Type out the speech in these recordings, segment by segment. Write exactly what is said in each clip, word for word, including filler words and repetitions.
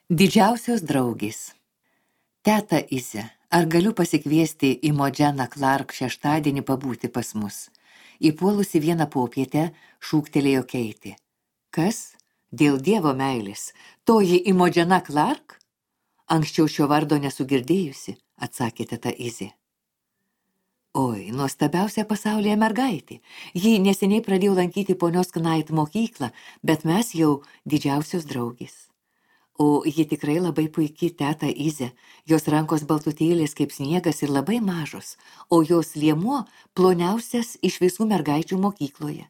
Didžiausios draugės. Teta Ize, ar galiu pasikviesti į Modženą Clark šeštadienį pabūti pas mus? Įpuolusi vieną popietę šūktelėjo Keitė. Kas? Dėl Dievo meilės. Toji į Modženą Clark? Anksčiau šio vardo nesugirdėjusi, atsakė teta Ize. Oi, nuostabiausia pasaulyje mergaitė. Ji neseniai pradėjo lankyti ponios Knight mokyklą, bet mes jau didžiausios draugės. O ji tikrai labai puikiai teta Ize, jos rankos baltutėlės kaip sniegas ir labai mažos, o jos liemuo ploniausias iš visų mergaičių mokykloje.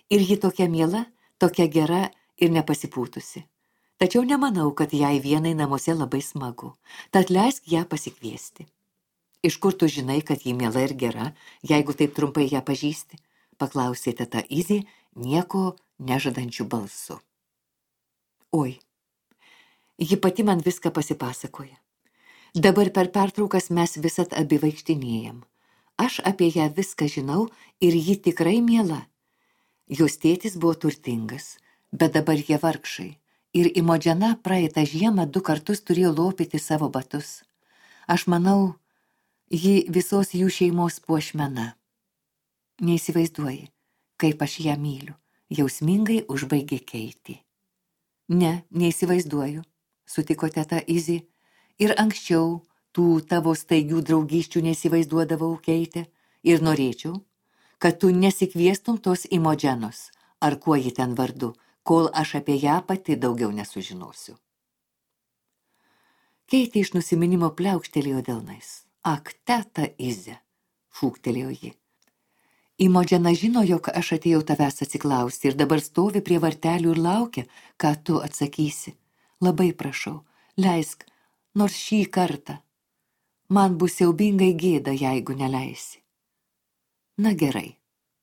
Ir ji tokia miela, tokia gera ir nepasipūtusi. Tačiau nemanau, kad jai vienai namuose labai smagu, tad leisk ją pasikviesti. Iš kur tu žinai, kad ji miela ir gera, jeigu taip trumpai ją pažįsti? Paklausė teta Ize nieko nežadančių balsu. Oi. Ji pati man viską pasipasakoja. Dabar per pertraukas mes visat abi vaikštinėjam. Aš apie ją viską žinau ir ji tikrai miela. Jos tėtis buvo turtingas, bet dabar jie vargšai. Ir į Modženą praeitą žiemą du kartus turėjo lopyti savo batus. Aš manau, ji visos jų šeimos puošmena. Neįsivaizduoji, kaip aš ją myliu, jausmingai užbaigė Keitė. Ne, neįsivaizduoju. Sutiko teta Ize, ir anksčiau tų tavo staigių draugysčių neįsivaizduodavau, Keitė, ir norėčiau, kad tu nesikviestum tos į Modženos, ar kuo ji ten vardu, kol aš apie ją pati daugiau nesužinosiu. Keitė iš nusiminimo pliaukštelėjo delnais. Ak, teta Ize, šūktelėjo ji. Į Modženą žino, jog aš atėjau tavęs atsiklausti ir dabar stovi prie vartelių ir laukia, ką tu atsakysi. Labai prašau, leisk, nors šį kartą. Man bus siaubingai gėda, jeigu neleisi. Na gerai,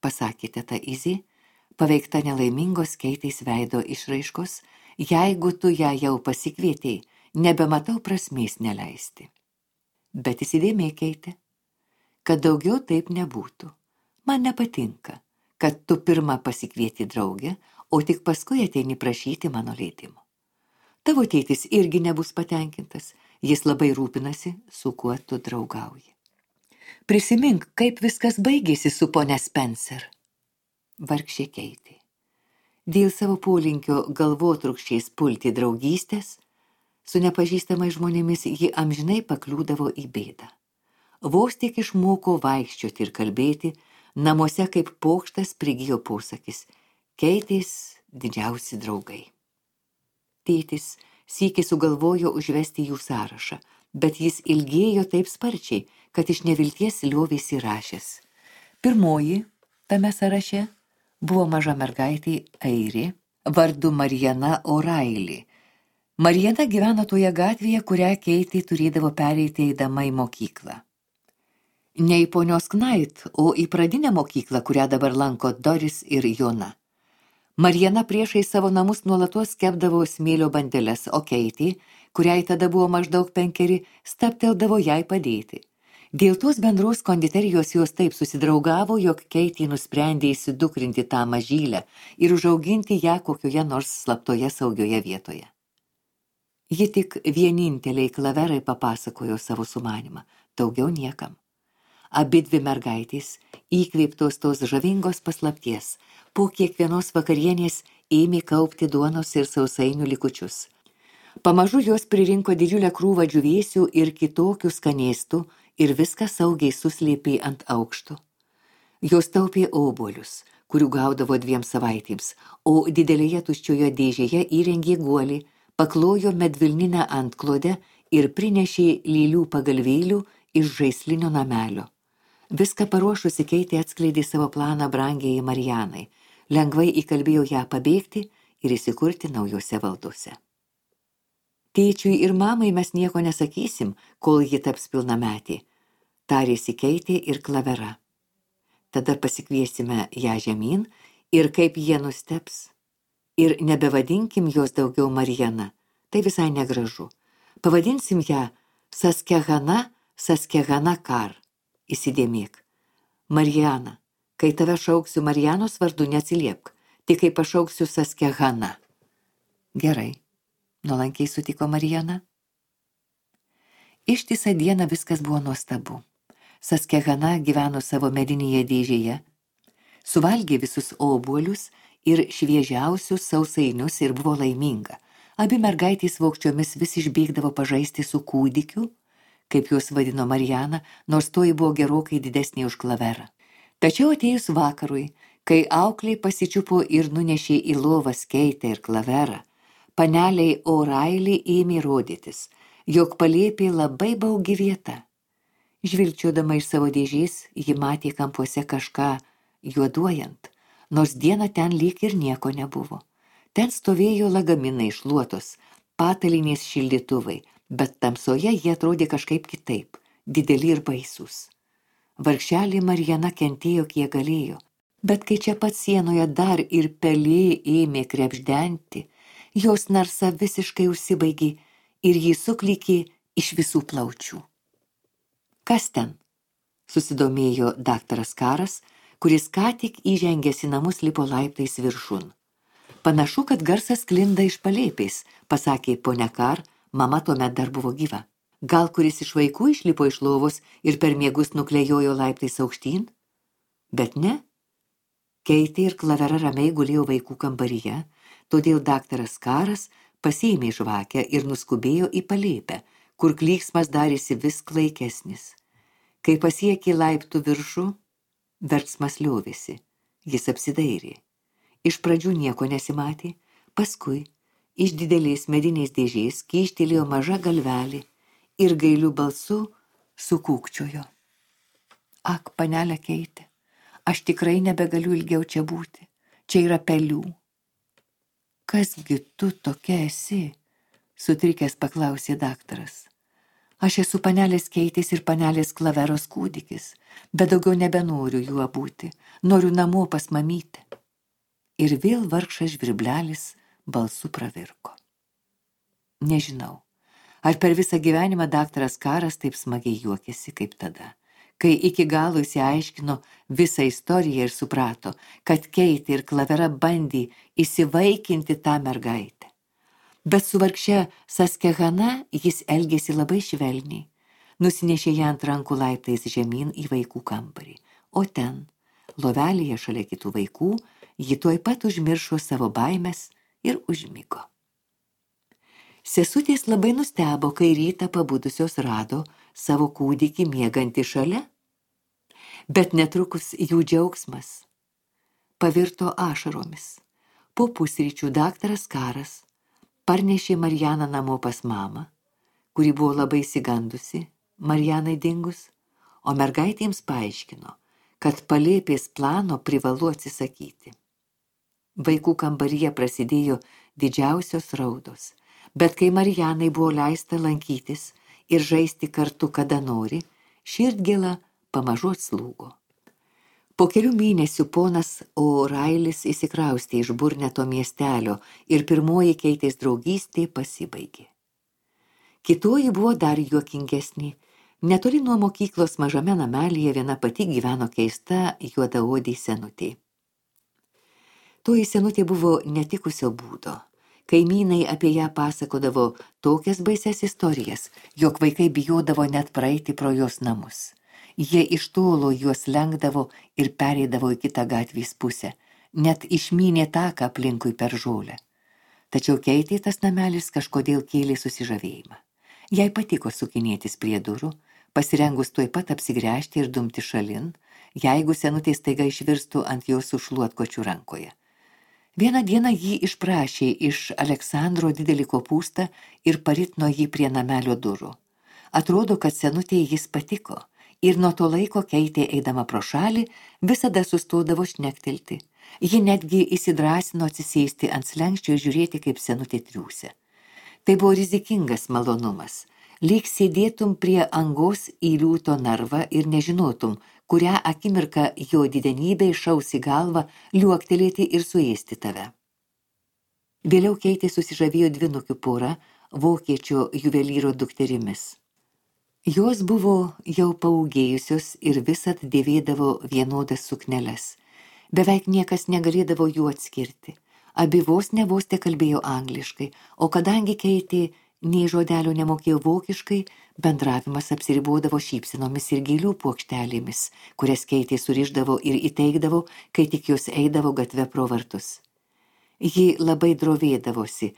pasakė teta Ize, paveikta nelaimingos Keitės veido išraiškos, jeigu tu ją jau pasikvietei, nebematau prasmės neleisti. Bet įsidėmėk, Keitė, kad daugiau taip nebūtų. Man nepatinka, kad tu pirmą pasikvieti draugę, o tik paskui ateini prašyti mano leidimo. Tavo tėtis irgi nebus patenkintas, jis labai rūpinasi, su kuo tu draugauji. Prisimink, kaip viskas baigėsi su ponia Spencer. Vargšė Keitė. Dėl savo polinkio galvotrūkščiais pulti draugystės, su nepažįstamais žmonėmis ji amžinai pakliūdavo į bėdą. Vos tik išmoko vaikščioti ir kalbėti, namuose kaip pokštas prigijo posakis – Keitės didžiausi draugai. Tėtis sykį sugalvojo užvesti jų sąrašą, bet jis ilgėjo taip sparčiai, kad iš nevilties liovėsi rašęs. Pirmoji tame sąraše buvo maža mergaitė airė, vardu Mariana O'Reilly. Mariana gyveno toje gatvėje, kurią Keitė turėdavo pereiti eidama į mokyklą. Ne į ponios Knight, o į pradinę mokyklą, kurią dabar lanko Doris ir Jona. Mariana priešai savo namus nuolatos kepdavo smėlio bandeles, o Keitė, kuriai tada buvo maždaug penkeri, stabteldavo jai padėti. Dėl tos bendros konditerijos jos taip susidraugavo, jog Keitė nusprendė įsidukrinti tą mažylę ir užauginti ją kokioje nors slaptoje saugioje vietoje. Ji tik vieninteliai Klaverai papasakojo savo sumanimą, daugiau niekam. Abidvi mergaitės, įkvėptos tos žavingos paslapties, po kiekvienos vakarienės ėmė kaupti duonos ir sausainių likučius. Pamažu jos pririnko didžiulę krūvą džiūvėsių ir kitokių skanėstų ir viską saugiai suslėpė ant aukštų. Jos taupė obuolius, kurių gaudavo dviem savaitėms, o didelėje tuščioje dėžėje įrengė guolį, paklojo medvilninę antklodę ir prinešė lėlių pagalvėlių iš žaislinio namelio. Viską paruošusi Keitė atskleidė savo planą brangiai Marianai, lengvai įkalbėjo ją pabėgti ir įsikurti naujose valdose. Tėčiui ir mamai mes nieko nesakysim, kol ji taps pilnametė, tarėsi Keitė ir Klavera. Tada pasikviesime ją žemyn ir kaip jie nusteps. Ir nebevadinkim jos daugiau Mariana, tai visai negražu. Pavadinsim ją Saskehana, Saskehana Kar. Įsidėmėk. Mariana, kai tave šauksiu Marianos vardu, neatsiliepk, tik kai pašauksiu Saskehana. Gerai, nuolankiai sutiko Mariana. Ištisą dieną viskas buvo nuostabu. Saskehana gyveno savo medinėje dėžėje, suvalgė visus obuolius ir šviežiausius sausainius ir buvo laiminga. Abi mergaitės vaukčiomis vis išbėgdavo pažaisti su kūdikiu, kaip juos vadino Mariana, nors toji buvo gerokai didesnė už Klaverą. Tačiau atėjus vakarui, kai aukliai pasičiupo ir nunešė į lovą Keitę ir Klaverą, paneliai O'Reilly ėmė rodytis, jog palėpė labai baugi vieta. Žvilgčiodama iš savo dėžės, ji matė kampuose kažką juoduojant, nors dieną ten lyg ir nieko nebuvo. Ten stovėjo lagaminai šluotos, patalinės šildytuvai, bet tamsoje jie atrodė kažkaip kitaip, dideli ir baisūs. Vargšelė Mariana kentėjo kiek galėjo, bet kai čia pat sienoje dar ir pelė ėmė krebždenti, jos narsa visiškai užsibaigė ir jį suklykė iš visų plaučių. Kas ten? Susidomėjo daktaras Karas, kuris ką tik įžengęs į namus lipo laiptais viršun. Panašu, kad garsas sklinda iš palėpės, pasakė ponia Kar, mama tuomet dar buvo gyva. Gal kuris iš vaikų išlipo iš lovos ir per miegus nuklejojo laiptais aukštyn? Bet ne. Keitė ir Klavera ramiai gulėjo vaikų kambaryje, todėl daktaras Karas pasiėmė žvakę ir nuskubėjo į palėpę, kur klyksmas darėsi vis klaikesnis. Kai pasiekė laiptų viršų, verksmas liovėsi. Jis apsidairė. Iš pradžių nieko nesimatė, paskui iš didelės medinės dėžės kyštelėjo maža galvelė ir gailiu balsu sukūkčiojo. Ak, panelė Keitė, aš tikrai nebegaliu ilgiau čia būti, čia yra pelių. Kasgi tu tokia esi? Sutrikęs paklausė daktaras. Aš esu panelės Keitės ir panelės Klaveros kūdikis, bet daugiau nebenoriu juo būti, noriu namo pas mamytę. Ir vėl vargšas žvirblelis balsu pravirko. Nežinau, ar per visą gyvenimą daktaras Karas taip smagiai juokėsi kaip tada, kai iki galo įsiaiškino visą istoriją ir suprato, kad Keitė ir Klavera bandė įsivaikinti tą mergaitę. Bet su vargše Saskehana jis elgėsi labai švelniai, nusinešė ją ant rankų laiptais žemyn į vaikų kambarį, o ten, lovelėje šalia kitų vaikų, ji tuoj pat užmiršo savo baimes ir užmigo. Sesutės labai nustebo, kai rytą pabudusios rado savo kūdikį miegantį šalia, bet netrukus jų džiaugsmas pavirto ašaromis. Po pusryčių daktaras Karas parnešė Marianą namo pas mamą, kuri buvo labai išsigandusi Marianai dingus, o mergaitėms paaiškino, kad palėpės plano privalu atsisakyti. Vaikų kambaryje prasidėjo didžiausios raudos, bet kai Marianai buvo leista lankytis ir žaisti kartu kada nori, širdgėla pamažu atslūgo. Po kelių mėnesių ponas O'Reillis įsikraustė iš Burneto miestelio ir pirmoji Keitės draugystė pasibaigė. Kitoji buvo dar juokingesnė. Netoli nuo mokyklos mažame namelyje viena pati gyveno keista juodaodė senutė. Toji senutė buvo netikusio būdo. Kaimynai apie ją pasakodavo tokias baises istorijas, jog vaikai bijodavo net praeiti pro jos namus. Jie iš tolo juos lenkdavo ir pereidavo į kitą gatvės pusę, net išmynė taką aplinkui per žolę. Tačiau Keitė tas namelis kažkodėl kėlė susižavėjimą. Jai patiko sukinėtis prie durų, pasirengus tuoj pat apsigręžti ir dumti šalin, jeigu senutė staiga išvirstų ant jos su šluotkočiu rankoje. Vieną dieną jį išprašė iš Aleksandro didelį kopūstą ir paritino jį prie namelio durų. Atrodo, kad senutė jis patiko, ir nuo to laiko Keitė eidama pro šalį visada sustodavo šnektelti. Ji netgi įsidrąsino atsisėsti ant slenksčio ir žiūrėti, kaip senutė triūsia. Tai buvo rizikingas malonumas. Lyg sėdėtum prie angos į liūto narvą ir nežinotum, kurią akimirką jo didenybė išaus į galvą liuoktelėti ir suėsti tave. Vėliau Keitė susižavėjo dvynukių pora vokiečio juvelyro dukterimis. Jos buvo jau paūgėjusios ir visad dėvėdavo vienodas sukneles. Beveik niekas negalėdavo jų atskirti. Abi vos ne vos te kalbėjo angliškai, o kadangi Keitė nei žodelio nemokėjo vokiškai, bendravimas apsiribodavo šypsinomis ir gėlių puokštelėmis, kurias Keitė surišdavo ir įteikdavo, kai tik jos eidavo gatve pro vartus. Ji labai drovėdavosi,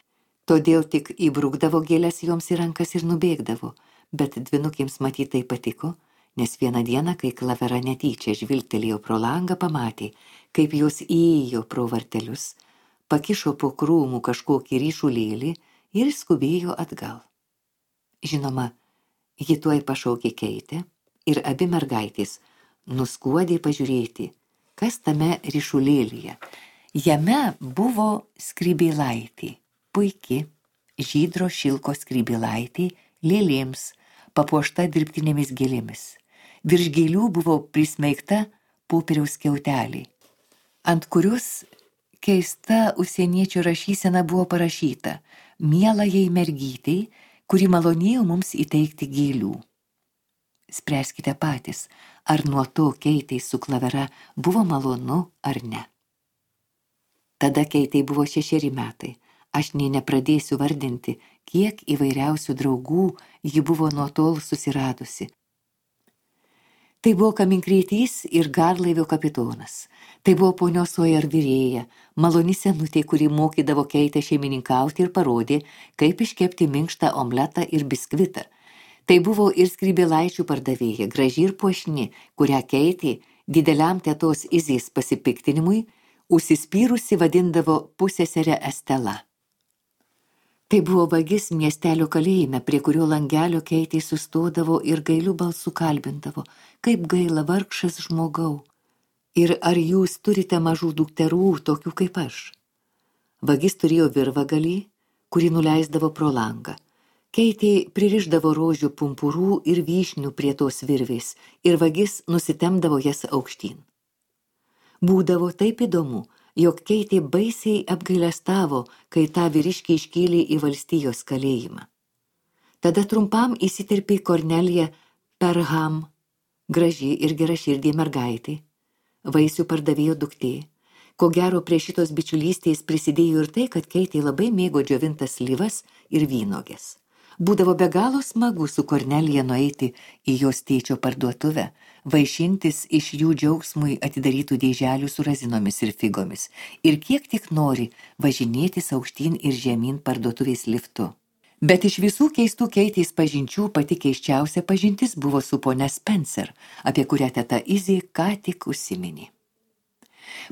todėl tik įbrukdavo gėles joms į rankas ir nubėgdavo, bet dvinukėms matytai patiko, nes vieną dieną, kai Klavera netyčia žvilgtelėjo pro langą, pamatė, kaip jos įėjo pro vartelius, pakišo po krūmų kažkokį ryšulėlį ir skubėjo atgal. Žinoma, ji tuoj pašaukė Keitę ir abi mergaitės nuskuodė pažiūrėti, kas tame ryšulėlyje. Jame buvo skrybėlaitė, puiki, žydro šilko skrybėlaitė lėlėms, papuošta dirbtinėmis gėlėmis. Virš gėlių buvo prismeigta popieriaus skiautelė, ant kurios keista užsieniečio rašysena buvo parašyta: mielajai mergytei, kuri malonėjo mums įteikti gėlių. Spręskite patys, ar nuo to Keitei su Klavera buvo malonu ar ne. Tada Keitei buvo šešeri metai. Aš nei nepradėsiu vardinti, kiek įvairiausių draugų ji buvo nuo tol susiradusi. Tai buvo kaminkrietys ir garlaivio kapitonas. Tai buvo ponios Sawyer virėja, maloni senutė, kuri mokydavo Keitę šeimininkauti ir parodė, kaip iškepti minkštą omletą ir biskvitą. Tai buvo ir skrybėlaičių pardavėja, graži ir puošni, kurią Keitė dideliam tetos Izės pasipiktinimui užsispyrusi vadindavo pusseserę Estela. Tai buvo vagis miestelio kalėjime, prie kurio langelio Keitė sustodavo ir gailiu balsu kalbindavo: kaip gaila, vargšas žmogau. Ir ar jūs turite mažų dukterų, tokių kaip aš? Vagis turėjo virvagalį, kurį nuleisdavo pro langą. Keitė pririšdavo rožių pumpurų ir vyšnių prie tos virvės ir vagis nusitemdavo jas aukštyn. Būdavo taip įdomu, jog Keitė baisiai apgailestavo, kai tą vyriškį iškėlė į valstijos kalėjimą. Tada trumpam įsiterpė Kornelija Perham, graži ir geraširdė mergaitė, vaisių pardavėjo duktė. Ko gero prie šitos bičiulystės prisidėjo ir tai, kad Keitė labai mėgo džiovintas slyvas ir vynuoges. Būdavo be galo smagu su Kornelija nueiti į jos tėčio parduotuvę, vaišintis iš jų džiaugsmui atidarytų dėželių su razinomis ir figomis ir kiek tik nori važinėtis aukštyn ir žemyn parduotuvės liftu. Bet iš visų keistų Keitės pažinčių pati keisčiausia pažintis buvo su ponia Spencer, apie kurią teta Izė ką tik užsiminė.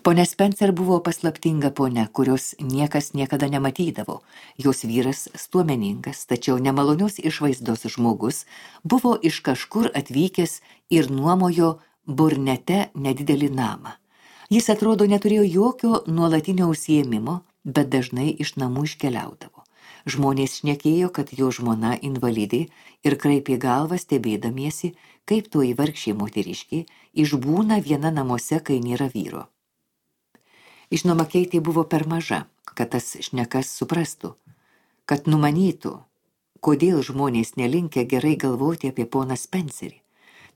Ponia Spencer buvo paslaptinga ponia, kurios niekas niekada nematydavo. Jos vyras, stuomeningas, tačiau nemalonios išvaizdos žmogus, buvo iš kažkur atvykęs ir nuomojo Burnete nedidelį namą. Jis atrodo neturėjo jokio nuolatinio užsiėmimo, bet dažnai iš namų iškeliaudavo. Žmonės šnekėjo, kad jo žmona invalidė ir kraipė galvą stebėdamiesi, kaip toji vargšė moteriškė išbūna viena namuose, kai nėra vyro. Žinoma, Keitė buvo per maža, kad tas šnekas suprastų, kad numanytų, kodėl žmonės nelinkę gerai galvoti apie poną Spencerį.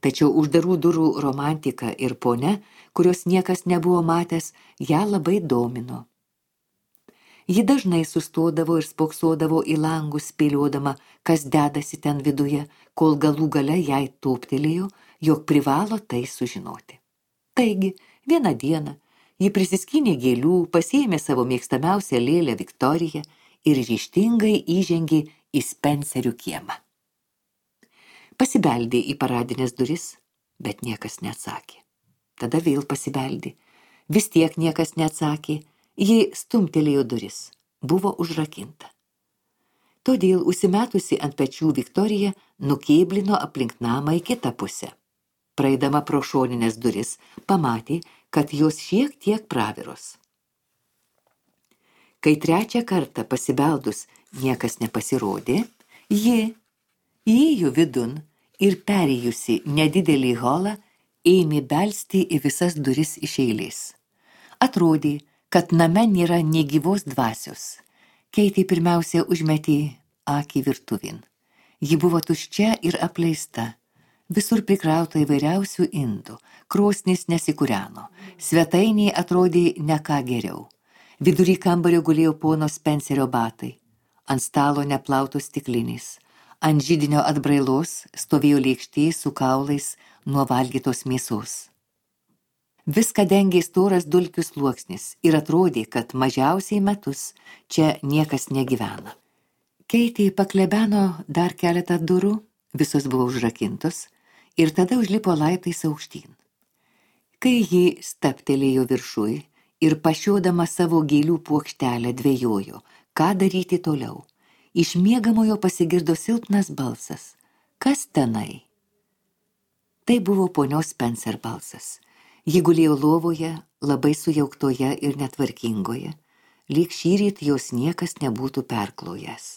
Tačiau uždarų durų romantika ir ponia, kurios niekas nebuvo matęs, ją labai domino. Ji dažnai sustodavo ir spoksodavo į langus, spėliodama, kas dedasi ten viduje, kol galų gale jai tūptelėjo, jog privalo tai sužinoti. Taigi, vieną dieną ji prisiskynė gėlių, pasiėmė savo mėgstamiausią lėlę Viktoriją ir ryžtingai įžengė į Spencerių kiemą. Pasibeldė į paradinės duris, bet niekas neatsakė. Tada vėl pasibeldė. Vis tiek niekas neatsakė. Ji stumtelėjo duris. Buvo užrakinta. Todėl užsimetusi ant pečių Viktorija nukėblino aplink namą į kitą pusę. Praeidama pro šoninės duris, pamatė, kad jos šiek tiek praviros. Kai trečią kartą pasibeldus niekas nepasirodė, ji įėjo vidun ir perėjusi nedidelį holą ėmė belsti į visas duris iš eilės. Atrodė, kad name nėra nė gyvos dvasios. Keitė pirmiausia užmetė akį virtuvin. Ji buvo tuščia ir apleista. Visur prikrauta įvairiausių indų, krosnis nesikūreno, svetainiai atrodė ne ką geriau. Vidury kambario gulėjo pono Spencerio batai, ant stalo neplautos stiklinės, ant židinio atbrailos stovėjo lėkštė su kaulais nuo valgytos mėsos. Viską dengė storas dulkių sluoksnis ir atrodė, kad mažiausiai metus čia niekas negyvena. Keitė paklebeno dar keletą durų, visos buvo užrakintos, ir tada užlipo laiptais aukštyn. Kai ji staptelėjo viršui ir pašiodama savo gėlių puokštelę dvejojo, ką daryti toliau, iš miegamojo pasigirdo silpnas balsas. Kas tenai? Tai buvo ponios Spencer balsas. Ji gulėjo lovoje, labai sujauktoje ir netvarkingoje, lyg šįryt jos niekas nebūtų perklojęs.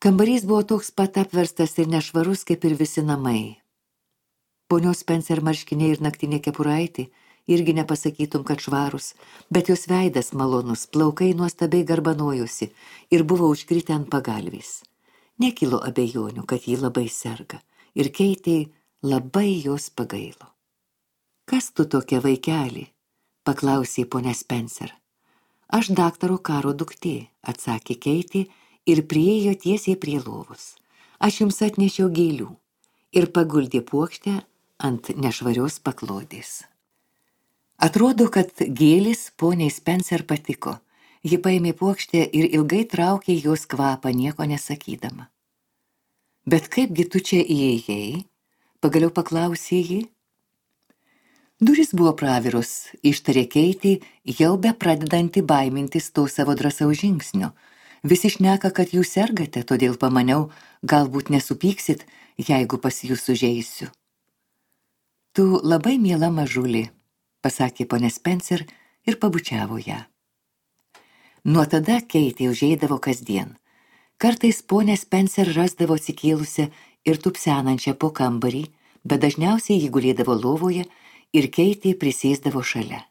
Kambarys buvo toks pat apverstas ir nešvarus kaip ir visi namai. Ponios Spencer marškiniai ir naktinė kepuraitė irgi nepasakytum, kad švarus, bet jos veidas malonus, plaukai nuostabiai garbanojosi ir buvo užkritę ant pagalvės. Nekilo abejonių, kad ji labai serga, ir Keitė labai jos pagailo. Kas tu tokia, vaikeli? Paklausė ponia Spencer. Aš daktaro Karo duktė, atsakė Keitė ir priėjo tiesiai prie lovos. Aš jums atnešiau gėlių ir paguldė puokštę ant nešvarios paklodės. Atrodo, kad gėlis poniai Spencer patiko. Ji paėmė puokštę ir ilgai traukė jos kvapą, nieko nesakydama. Bet kaipgi tu čia įėjai? Pagaliau paklausė ji. Durys buvo pravirus, ištarė Keitė, jau be pradedanti baimintis to savo drąsaus žingsnio. Visi šneka, kad jūs sergate, todėl pamaniau, galbūt nesupyksit, jeigu pas jūs užeisiu. Tu labai miela mažulė, pasakė ponia Spencer ir pabučiavo ją. Nuo tada Keitė užeidavo kasdien. Kartais ponia Spencer rasdavo atsikėlusią ir tupsenančią po kambarį, bet dažniausiai ji gulėdavo lovoje ir Keitė prisėsdavo šalia.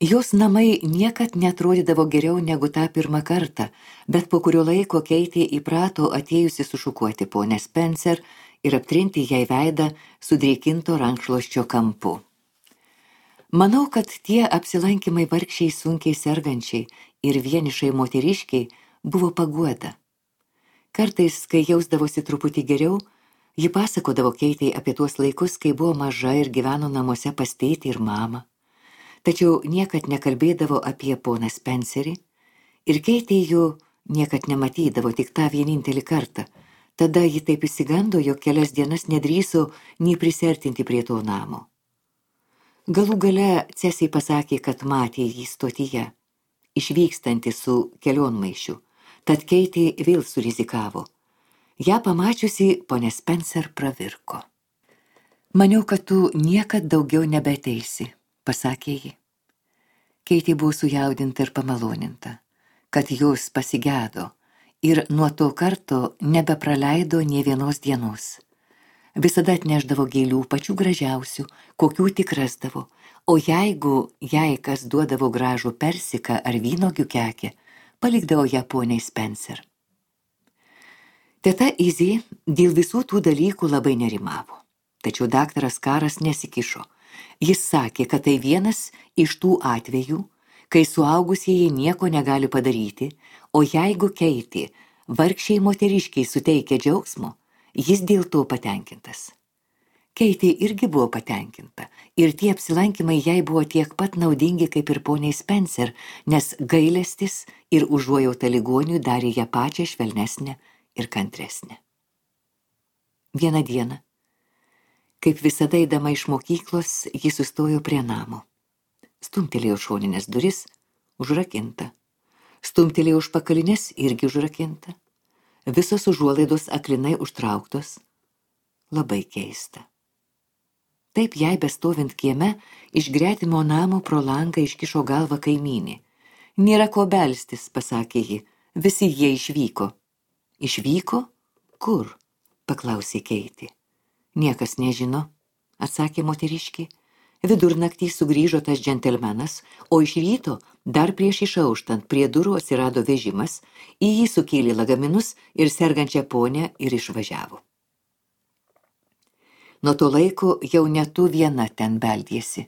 Jos namai niekad netrodydavo geriau negu tą pirmą kartą, bet po kurio laiko Keitė įprato atėjusi sušukuoti ponę Spencer ir aptrinti jai veidą sudrėkinto rankšluosčio kampu. Manau, kad tie apsilankymai vargšiai sunkiai sergančiai ir vienišai moteriškiai buvo paguoda. Kartais, kai jausdavosi truputį geriau, ji pasakodavo Keitei apie tuos laikus, kai buvo maža ir gyveno namuose pas tėtį ir mamą. Tačiau niekad nekalbėdavo apie poną Spencerį ir Keitė jų niekad nematydavo tik tą vienintelį kartą. Tada ji taip įsigando, jog kelias dienas nedrįso nei prisertinti prie to namo. Galų gale Cesiai pasakė, kad matė jį stotyje, išvykstantį su kelionmaišiu, tad Keitė vėl surizikavo. Ja pamačiusi, ponia Spencer pravirko. Maniau, kad tu niekad daugiau nebeateisi, pasakė ji. Keitė buvo sujaudinta ir pamaloninta, kad jos pasigedo ir nuo to karto nebepraleido nė vienos dienos. Visada atneždavo gėlių pačių gražiausių, kokių tik rasdavo, o jeigu jai kas duodavo gražų persiką ar vynogių kekę, palikdavo ją poniai Spencer. Teta Izė dėl visų tų dalykų labai nerimavo, tačiau daktaras Karas nesikišo. Jis sakė, kad tai vienas iš tų atvejų, kai suaugusieji nieko negali padaryti, o jeigu Keitė vargšiai moteriškiai suteikia džiaugsmo, jis dėl to patenkintas. Keitė irgi buvo patenkinta ir tie apsilankymai jai buvo tiek pat naudingi kaip ir poniai Spencer, nes gailestis ir užuojauta ligoniui darė ją pačią švelnesnę ir kantresnė. Vieną dieną, kaip visada eidama iš mokyklos, ji sustojo prie namo. Stumtelėjo šoninės duris, užrakinta. Stumtelėjo užpakalinės, irgi užrakinta. Visos užuolaidos aklinai užtrauktos. Labai keista. Taip jai bestovint kieme, iš gretimo namo pro langą iškišo galvą kaimynė. Nėra ko belstis, pasakė ji, visi jie išvyko. Išvyko? Kur? Paklausė Keitė. Niekas nežino, atsakė moteriškė. Vidurnaktį sugrįžo tas džentelmenas, o iš ryto, dar prieš išauštant, prie durų atsirado vežimas, į jį sukėlė lagaminus ir sergančią ponę ir išvažiavo. Nuo to laiko jau ne tu viena ten beldėsi,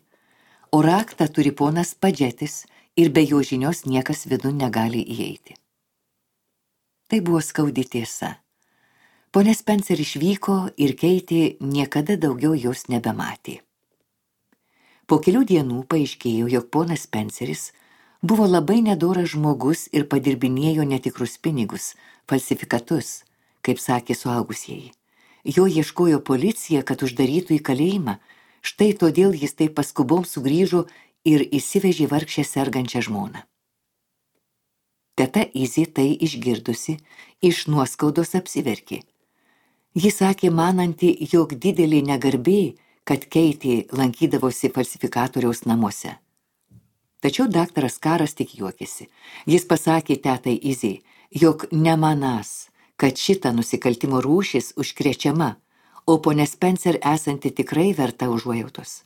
o raktą turi ponas Padžetis ir be jo žinios niekas vidun negali įeiti. Tai buvo skaudi tiesa. Ponia Spencer išvyko ir Keitė niekada daugiau jos nebematė. Po kelių dienų paaiškėjo, jog ponas Spenceris buvo labai nedoras žmogus ir padirbinėjo netikrus pinigus, falsifikatus, kaip sakė suaugusieji. Jo ieškojo policija, kad uždarytų į kalėjimą, štai todėl jis taip paskubom sugrįžo ir įsivežė vargšę sergančią žmoną. Teta Izė tai išgirdusi, iš nuoskaudos apsiverkė. Ji sakė mananti, jog didelė negarbė, kad Keitė lankydavosi falsifikatoriaus namuose. Tačiau daktaras Karas tik juokėsi. Jis pasakė tetai Izei, jog nemanas, kad šita nusikaltimo rūšis užkrečiama, o ponia Spencer esanti tikrai verta užuojautos.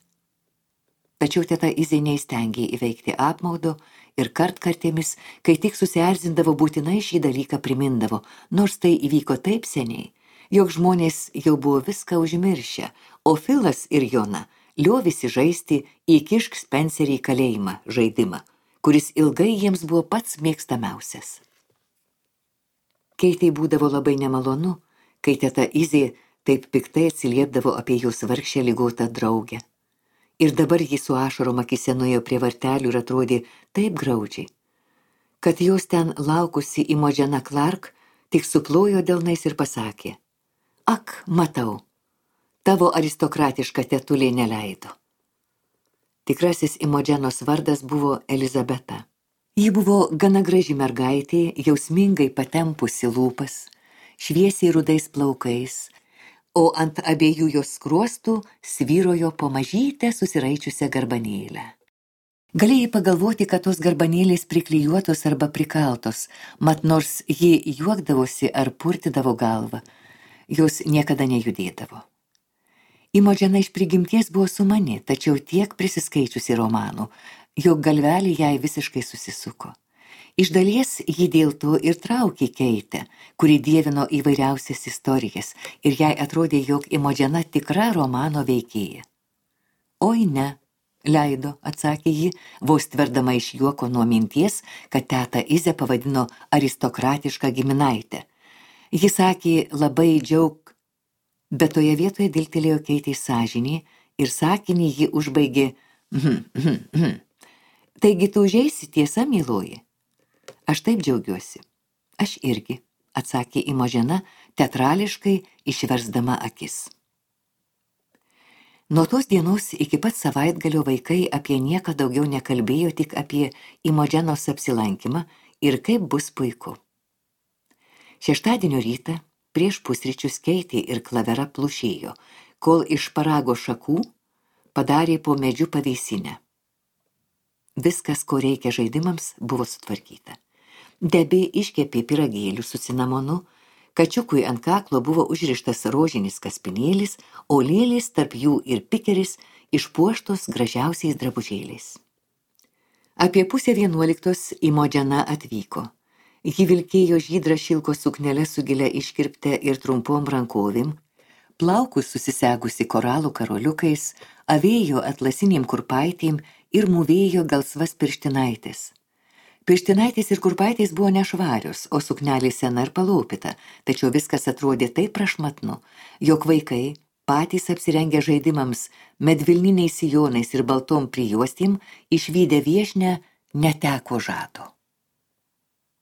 Tačiau teta Izė neįstengė įveikti apmaudo ir kartkartėmis, kai tik susierzindavo, būtinai šį dalyką primindavo, nors tai įvyko taip seniai, jog žmonės jau buvo viską užmiršę, o Filas ir Jona liovėsi žaisti įkišk Spencerį į kalėjimą žaidimą, kuris ilgai jiems buvo pats mėgstamiausias. Keitei būdavo labai nemalonu, kai teta Izė taip piktai atsiliepdavo apie jos vargšę ligotą draugę. Ir dabar ji su ašarom akyse nuėjo prie vartelių ir atrodė taip graudžiai, kad jos ten laukusi Imogen Clark tik suplojo delnais ir pasakė: Ak, matau, tavo aristokratiška tetulė neleido. Tikrasis Imogenos vardas buvo Elizabeta. Ji buvo gana graži mergaitė, jausmingai patempusi lūpas, šviesiai rudais plaukais, o ant abiejų jos skruostų svyrojo po mažytę susiraičiusią garbanėlę. Galėjai pagalvoti, kad tos garbanėlės priklijuotos arba prikaltos, mat nors ji juokdavosi ar purtydavo galvą, jos niekada nejudėdavo. Imogena iš prigimties buvo sumani, tačiau tiek prisiskaičiusi romanų, jog galvelį jai visiškai susisuko. Iš dalies ji dėl to ir traukė Keitę, kuri dievino įvairiausias istorijas, ir jai atrodė, jog Imogena tikra romano veikėja. Oi ne, leido, atsakė ji, vos tverdama iš juoko nuo minties, kad teta Izę pavadino aristokratišką giminaitę. Ji sakė labai džiaug, bet toje vietoje dilgtelėjo Keitei sąžinė ir sakinį ji užbaigė hm, hm, hm. Taigi tu užeisi, tiesa, myloji? Aš taip džiaugiuosi. Aš irgi, atsakė Imogena, teatrališkai išversdama akis. Nuo tos dienos iki pat savaitgalio vaikai apie nieką daugiau nekalbėjo, tik apie Imogenos apsilankymą ir kaip bus puiku. Šeštadienio rytą prieš pusryčius Keitė ir Klavera plušėjo, kol iš parago šakų padarė po medžiu pavėsinę. Viskas, ko reikia žaidimams, buvo sutvarkyta. Debė iškepė pyragėlių su cinamonu, kačiukui ant kaklo buvo užrištas rožinis kaspinėlis, o lėlės tarp jų ir pikeris išpuoštos gražiausiais drabužėliais. Apie pusę vienuoliktos Imogena atvyko. Ji vilkėjo žydrą šilko suknelę su gilia iškirpte ir trumpom rankovėm, plaukus susisegusi koralų karoliukais, avėjo atlasinėm kurpaitėm ir mūvėjo gelsvas pirštinaitės. Pirštinaitės ir kurpaitės buvo nešvarios, o suknelė sena ir palopyta, tačiau viskas atrodė taip prašmatnu, jog vaikai, patys apsirengę žaidimams, medvilniniais sijonais ir baltom prijuostėm, išvydę viešnę, neteko žado.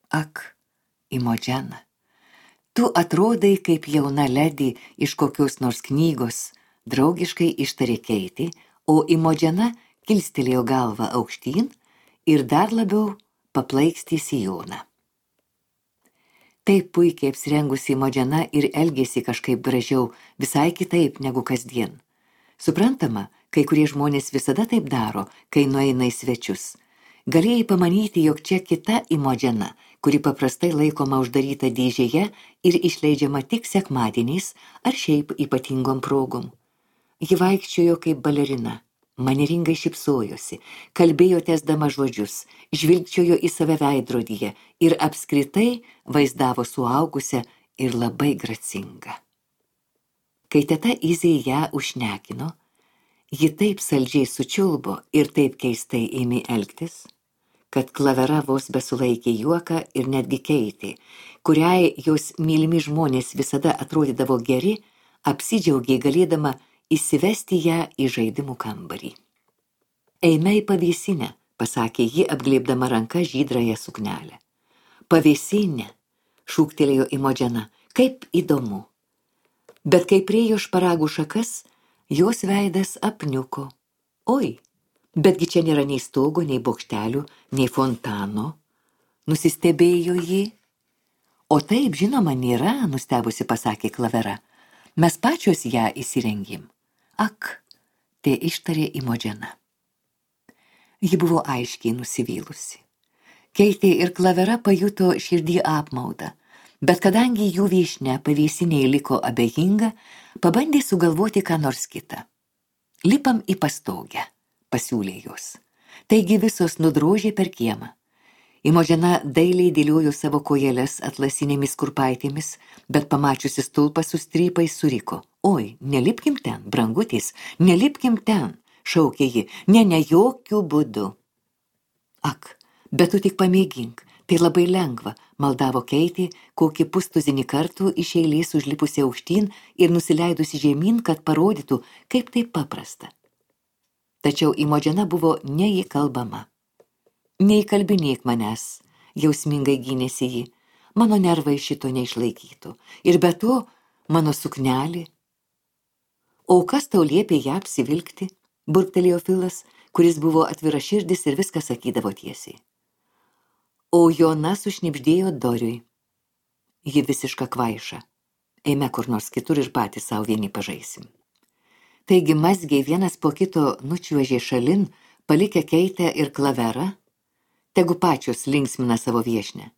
Ak, Imogena, tu atrodai kaip jauna ledi iš kokios nors knygos, draugiškai ištarė Keitė, o Imogena kilstelėjo galvą aukštyn ir dar labiau paplaikstė sijoną. Taip puikiai apsirengusi Imogena ir elgėsi kažkaip gražiau, visai kitaip negu kasdien. Suprantama, kai kurie žmonės visada taip daro, kai nueina į svečius. Galėjai pamanyti, jog čia kita Imogena, kuri paprastai laikoma uždaryta dėžėje ir išleidžiama tik sekmadieniais ar šiaip ypatingom progom. Ji vaikščiojo kaip balerina, manieringai šypsojosi, kalbėjo tęsdama žodžius, žvilgčiojo į save veidrodyje ir apskritai vaizdavo suaugusią ir labai gracingą. Kai teta Izė ją užšnekino, ji taip saldžiai sučiulbo ir taip keistai ėmė elgtis, kad Klavera vos besulaikė juoką ir netgi Keitė, kuriai jos mylimi žmonės visada atrodydavo geri, apsidžiaugė galėdama įsivesti ją į žaidimų kambarį. Eime į pavėsinę, pasakė ji, apglėbdama ranka žydrąją suknelę. Pavėsinė, šūktelėjo Imodžena, kaip įdomu. Bet kai priejo šparagų šakas, jos veidas apniuko. Oi, betgi čia nėra nei stogo, nei bokštelių, nei fontano. Nusistebėjo ji. O taip, žinoma, nėra, nustebusi pasakė Klavera. Mes pačios ją įsirengėm. Ak, tai ištarė Imodžena. Ji buvo aiškiai nusivylusi. Keitė ir Klavera pajuto širdį apmaudą, bet kadangi jų viešnia pavėsinėje liko abejinga, pabandė sugalvoti ką nors kitą. Lipam į pastogę, pasiūlė jos. Taigi visos nudrožė per kiemą. Imodžena dailiai dėliojo savo kojeles atlasinėmis kurpaitėmis, bet pamačiusi stulpą su strypais suriko. Oi, nelipkim ten, brangutis, nelipkim ten, šaukė ji, ne, ne jokių būdų. Ak, bet tu tik pamėgink, tai labai lengva, maldavo Keitė, kokį pustuzinį kartų iš eilės užlipusi aukštyn ir nusileidusi žemyn, kad parodytų, kaip tai paprasta. Tačiau Imodžena buvo neįkalbama. Neįkalbinėk manęs, jausmingai gynėsi ji, mano nervai šito neišlaikytų. Ir be to, mano suknelė. O kas tau liepė ją apsivilkti, burktelėjo Filas, kuris buvo atviraširdis ir viską sakydavo tiesiai. O Jona sušnibždėjo Doriui. Ji visiška kvaiša. Eime kur nors kitur ir patys savo vieni pažaisim. Taigi mazgiai vienas po kito nučiuožė šalin, palikę Keitę ir Klaverą, tegu pačios linksmina savo viešinę.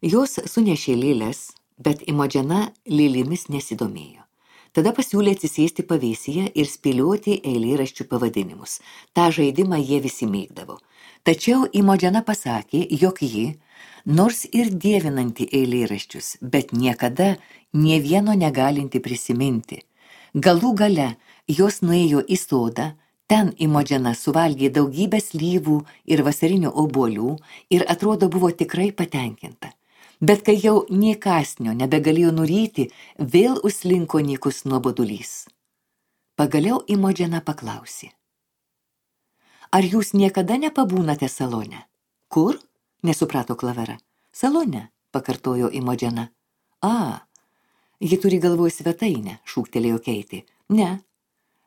Jos sunešė lėles, bet Imodžena lėlėmis nesidomėjo. Tada pasiūlė atsisėsti pavėsyje ir spėlioti eilėraščių pavadinimus. Ta žaidimą jie visi mėgdavo. Tačiau Imodžena pasakė, jog ji, nors ir dievinanti eilėraščius, bet niekada nė vieno negalinti prisiminti. Galų gale jos nuėjo į sodą, ten Imodžena suvalgė daugybę slyvų ir vasarinių obuolių ir atrodo buvo tikrai patenkinta. Bet kai jau nė kąsnio nebegalėjo nuryti, vėl užslinko nykus nuobodulys. Pagaliau Imodžena paklausė. Ar jūs niekada nepabūnate salone? Kur? Nesuprato Klavera. Salone, pakartojo Imodžena. A, ji turi galvoj svetainę, šūktelėjo Keitė. Ne,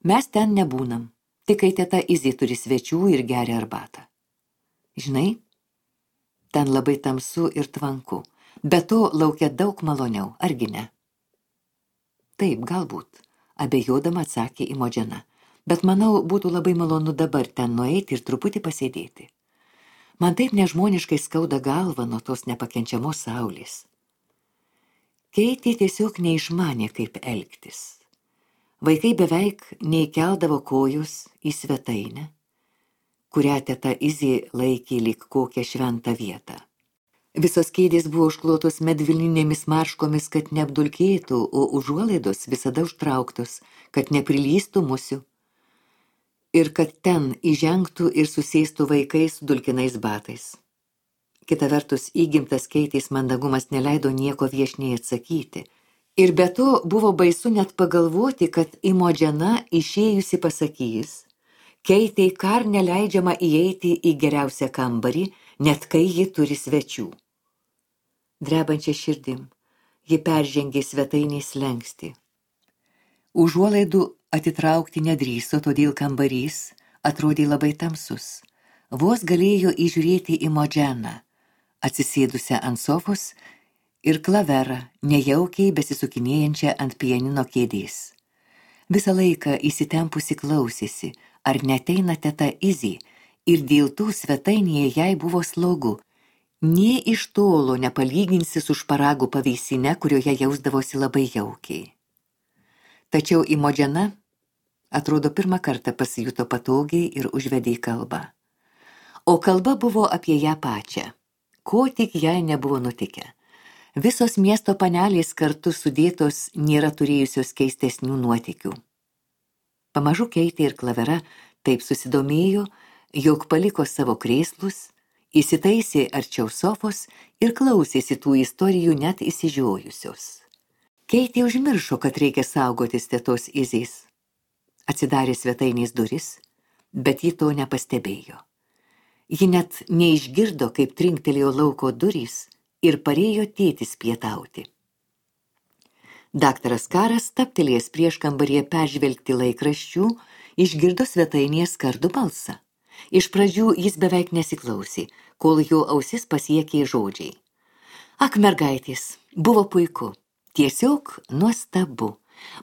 mes ten nebūnam. Tik kai teta Izė turi svečių ir geria arbatą. Žinai, ten labai tamsu ir tvanku, bet to laukia daug maloniau, argi ne? Taip, galbūt, abejodama atsakė Imodžena, bet manau, būtų labai malonu dabar ten nueiti ir truputį pasėdėti. Man taip nežmoniškai skauda galva nuo tos nepakenčiamos saulės. Keitė tiesiog neišmanė, kaip elgtis. Vaikai beveik neįkeldavo kojos į svetainę, kurią teta Izė laikė lyg kokią šventą vietą. Visos kėdės buvo užklotos medvilninėmis marškomis, kad neapdulkėtų, o užuolaidos visada užtrauktos, kad neprilystų musių. Ir kad ten įžengtų ir susėstų vaikai su dulkinais batais. Kita vertus, įgimtas Keitės mandagumas neleido nieko viešniai atsakyti. Ir be to buvo baisu net pagalvoti, kad Imodžena išėjusi pasakys, Keitei kar neleidžiama įeiti į geriausią kambarį, net kai ji turi svečių. Drebančia širdim, ji peržengė svetainės slenkstį. Užuolaidų atitraukti nedrįso, todėl kambarys atrodė labai tamsus. Vos galėjo įžiūrėti Imodženą, atsisėdusią ant sofos, ir Klaverą, nejaukiai besisukinėjančią ant pianino kėdės. Visą laiką įsitempusi klausėsi, ar neteina teta Izė, ir dėl to svetainėje jai buvo slogu. Nė iš tolo nepalyginsi su šparagų pavėsine, kurioje jausdavosi labai jaukiai. Tačiau Imodžena, atrodo, pirmą kartą pasijuto patogiai ir užvedė kalbą. O kalba buvo apie ją pačią, ko tik jai nebuvo nutikę. Visos miesto panelės kartu sudėtos nėra turėjusios keistesnių nuotykių. Pamažu Keitė ir Klavera taip susidomėjo, jog paliko savo krėslus Įsitaisė arčiau sofos ir klausėsi tų istorijų net įsižiojusios. Keitė užmiršo, kad reikia saugotis tetos Izės. Atsidarė svetainės duris, bet ji to nepastebėjo. Ji net neišgirdo, kaip trinktelėjo lauko durys ir parėjo tėtis pietauti. Daktaras Karas, taptelėjęs prieš kambaryje peržvelgti laikraščių, išgirdo svetainėje skardų balsą. Iš pradžių jis beveik nesiklausė, kol jo ausis pasiekė žodžiai. Ak, mergaitės, buvo puiku, tiesiog nuostabu.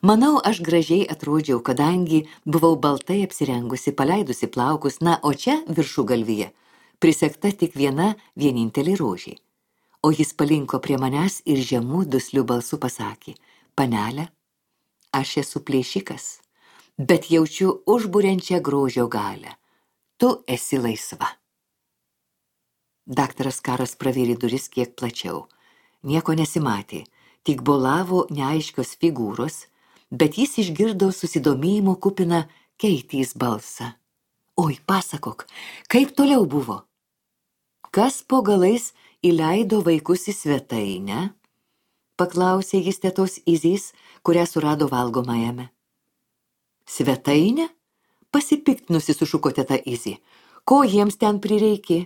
Manau, aš gražiai atrodžiau, kadangi buvau baltai apsirengusi, paleidusi plaukus, na, o čia viršugalvyje prisegta tik viena vienintelė rožė. O jis palinko prie manęs ir žemų duslių balsų pasakė: panelė, aš esu plėšikas, bet jaučiu užburiančią grožio galią. Tu esi laisva. Daktaras Karas pravėrė duris kiek plačiau. Nieko nesimatė. Tik bolavo neaiškios figūros, bet jis išgirdo susidomėjimo kupiną Keitės balsą. Oi, pasakok, kaip toliau buvo? Kas po galais įleido vaikus į svetainę? Paklausė jis tetos Izės, kurią surado valgomajame. Svetainę? Pasipiktinusi sušuko teta Izė. Ko jiems ten prireikė?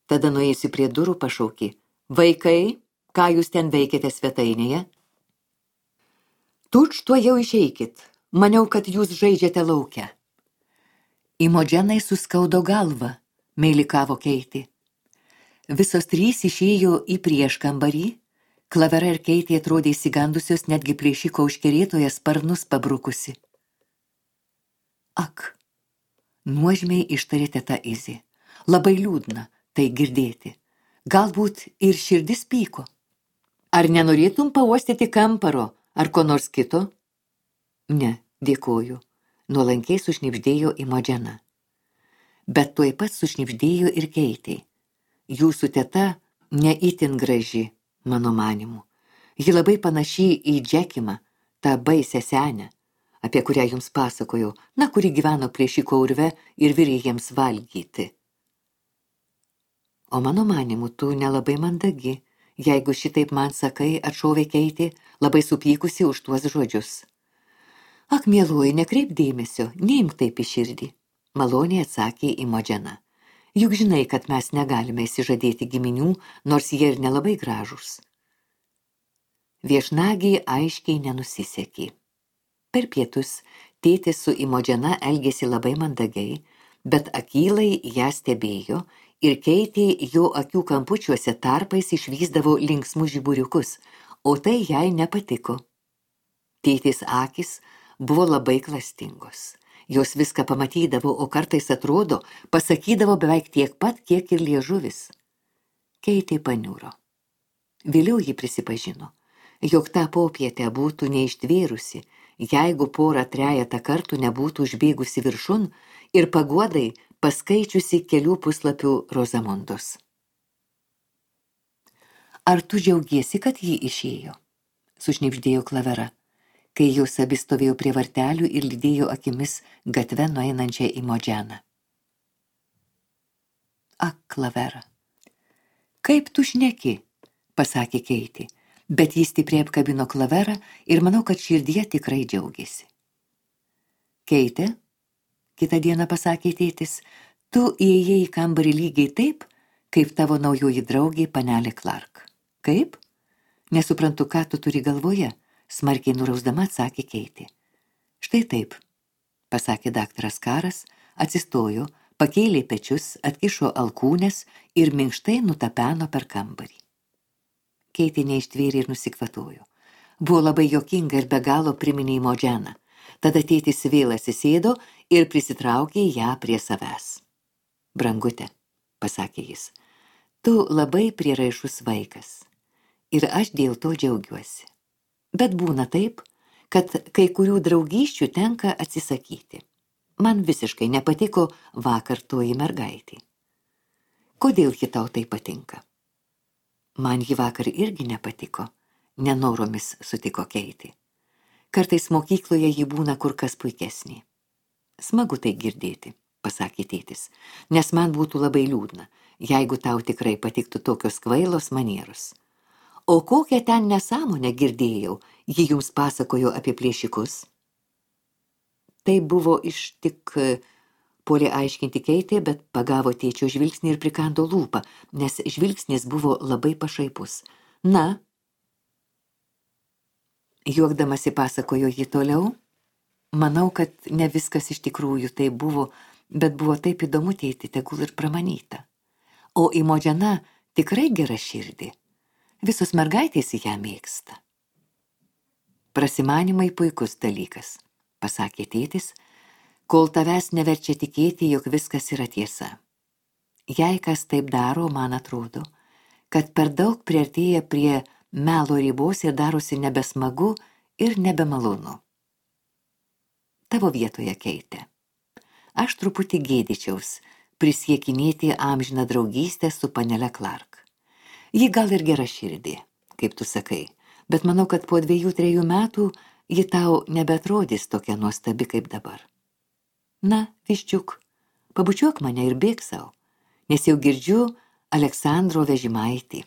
Tada nuėjusi prie durų pašaukė: vaikai, ką jūs ten veikiate svetainėje? Tučtuojau išeikit, maniau, kad jūs žaidžiate lauke. Imodženai suskaudo galvą, meilikavo Keitė. Visos trys išėjo į prieškambarį, Klavera ir Keitė atrodė įsigandusios, netgi plėšiko užkerėtoje sparnus pabrukusi. Ak, nuožmiai ištarė teta Izė. Labai liūdna tai girdėti. Galbūt ir širdis pyko. Ar nenorėtum pauostyti kamparo ar ko nors kito? Ne, dėkoju, nuolankiai sušnibždėjo Imodžena. Bet tuoj pat sušnibždėjo ir Keitė. Jūsų teta ne itin graži, mano manimu. Ji labai panaši į Džekimą, tą baisę senę, apie kurią jums pasakojau, na, kuri gyveno plėšiko urve ir virė jiems valgyti. O mano manimu, tu nelabai mandagi, jeigu šitaip man sakai, atšovė Keitė, labai supykusi už tuos žodžius. Ak, mieloji, nekreip dėmesio, neimk taip į širdį, maloniai atsakė Imodžena. Juk žinai, kad mes negalime įsižadėti giminių, nors jie ir nelabai gražūs. Viešnagiai aiškiai nenusisekė. Per pietus tėtis su Imodžena elgėsi labai mandagiai, bet akylai ją stebėjo ir Keitė jo akių kampučiuose tarpais išvysdavo linksmus žiburiukus, o tai jai nepatiko. Tėtės akys buvo labai klastingos. Jos viską pamatydavo, o kartais atrodo, pasakydavo beveik tiek pat, kiek ir liežuvis. Keitė paniuro. Vėliau ji prisipažino, jog tą popietę būtų neištvėrusi, jeigu porą trejetą kartų nebūtų užbėgusi viršun ir paguodai paskaičiusi kelių puslapių Rozamundos. Ar tu džiaugiesi, kad ji išėjo? Sušnibždėjo Klavera, kai jos abi stovėjo prie vartelių ir lydėjo akimis gatve nueinančią Imodženą. Ak, Klavera, kaip tu šneki, pasakė Keitė, bet jis stipriai apkabino Klaverą ir manau, kad širdyje tikrai džiaugiasi. Keitė, kitą dieną pasakė tėtis, tu įėjai į kambarį lygiai taip, kaip tavo naujoji draugė panelė Clark. Kaip? Nesuprantu, ką tu turi galvoje, smarkiai nurausdama atsakė Keitė. Štai taip, pasakė daktaras Karas, atsistojo, pakėlė pečius, atkišo alkūnes ir minkštai nutapeno per kambarį. Keitė neištvėrė ir nusikvatojo. Buvo labai juokinga ir be galo priminė Imodženą. Tada tėtis vėl atsisėdo ir prisitraukė ją prie savęs. Brangute, pasakė jis, tu labai prieraišus vaikas ir aš dėl to džiaugiuosi. Bet būna taip, kad kai kurių draugysčių tenka atsisakyti. Man visiškai nepatiko vakar toji mergaitė. Kodėl ji tau tai patinka? Man ji vakar irgi nepatiko, nenoromis sutiko Keitė. Kartais mokykloje ji būna kur kas puikesnė. Smagu tai girdėti, pasakė tėtis, nes man būtų labai liūdna, jeigu tau tikrai patiktų tokios kvailos manieros. O kokią ten nesąmonę girdėjau, ji jums pasakojo apie plėšikus? Tai buvo iš tik, puolė aiškinti Keitė, bet pagavo tėčio žvilgsnį ir prikando lūpą, nes žvilgsnis buvo labai pašaipus. Na, juokdamasi pasakojo ji toliau, manau, kad ne viskas iš tikrųjų tai buvo, bet buvo taip įdomu, tėti, tegul ir pramanyta. O Imodžena tikrai gera širdį. Visos mergaitės ją mėgsta. Prasimanimai puikus dalykas, pasakė tėtis, kol tavęs neverčia tikėti, jog viskas yra tiesa. Jei kas taip daro, man atrodo, kad per daug priartėja prie melo ribos ir darosi nebesmagu ir nebemalonu. Tavo vietoje, Keitė. Aš truputį gėdyčiaus prisiekinėti amžiną draugystę su panele Clark. Ji gal ir gera širdį, kaip tu sakai, bet manau, kad po dviejų, trejų metų ji tau nebeatrodys tokia nuostabi kaip dabar. Na, viščiuk, pabučiuok mane ir bėk sau, nes jau girdžiu Aleksandro vežimaitį.